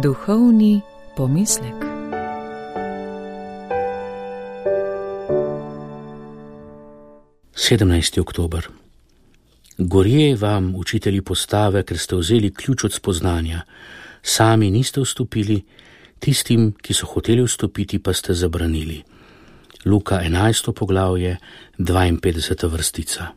Duhovni pomislek. Sedemnajsti oktober. Gorje vam, učitelji postave, ker ste vzeli ključ od spoznanja. Sami niste vstopili, tistim, ki so hoteli vstopiti, pa ste zabranili. Luka 11. poglavje, 52. vrstica.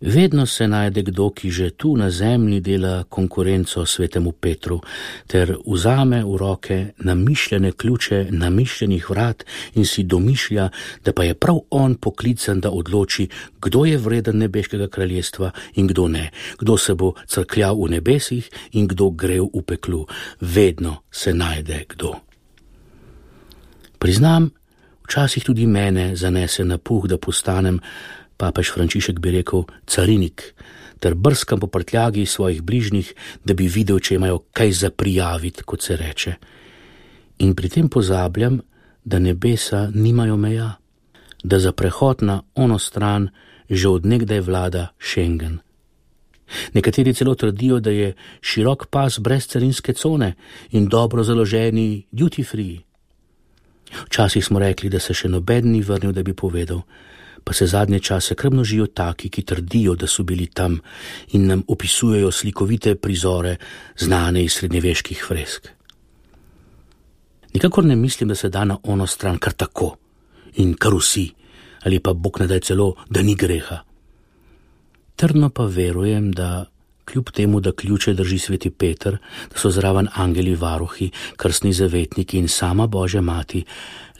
Vedno se najde kdo, ki že tu na zemlji dela konkurenco svetemu Petru, ter vzame v roke namišljene ključe namišljenih vrat in si domišlja, da pa je prav on poklican, da odloči, kdo je vreden nebeškega kraljestva in kdo ne, kdo se bo crkljal v nebesih in kdo grev v peklu. Vedno se najde kdo. Priznam, včasih tudi mene zanese na puh, da postanem, papež Frančišek bi rekel, carinik, ter brskam po prtljagi svojih bližnjih, da bi videl, če imajo kaj za prijaviti, kot se reče. In pri tem pozabljam, da nebesa nimajo meja, da za prehod na ono stran že od nekdaj vlada Schengen. Nekateri celo trdijo, da je širok pas brez carinske cone in dobro založeni duty free. Včasih smo rekli, da se še noben ni vrnil, da bi povedal, pa se zadnje čase kar množijo taki, ki trdijo, da so bili tam in nam opisujejo slikovite prizore, znane iz srednjeveških fresk. Nikakor ne mislim, da se da na ono stran kar tako in kar vsi, ali pa Bog ne daj celo, da ni greha. Trdno pa verujem, da kljub temu, da ključe drži sveti Peter, da so zraven angeli varuhi, krstni zavetniki in sama Božja mati,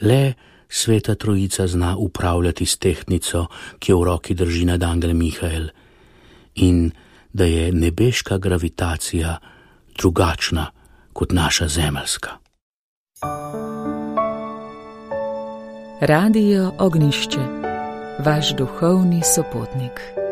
le Sveta Trojica zna upravljati s tehtnico, ki jo v roki drži nad angel Mihael, in da je nebeška gravitacija drugačna kot naša zemeljska. Radio Ognjišče, vaš duhovni sopotnik.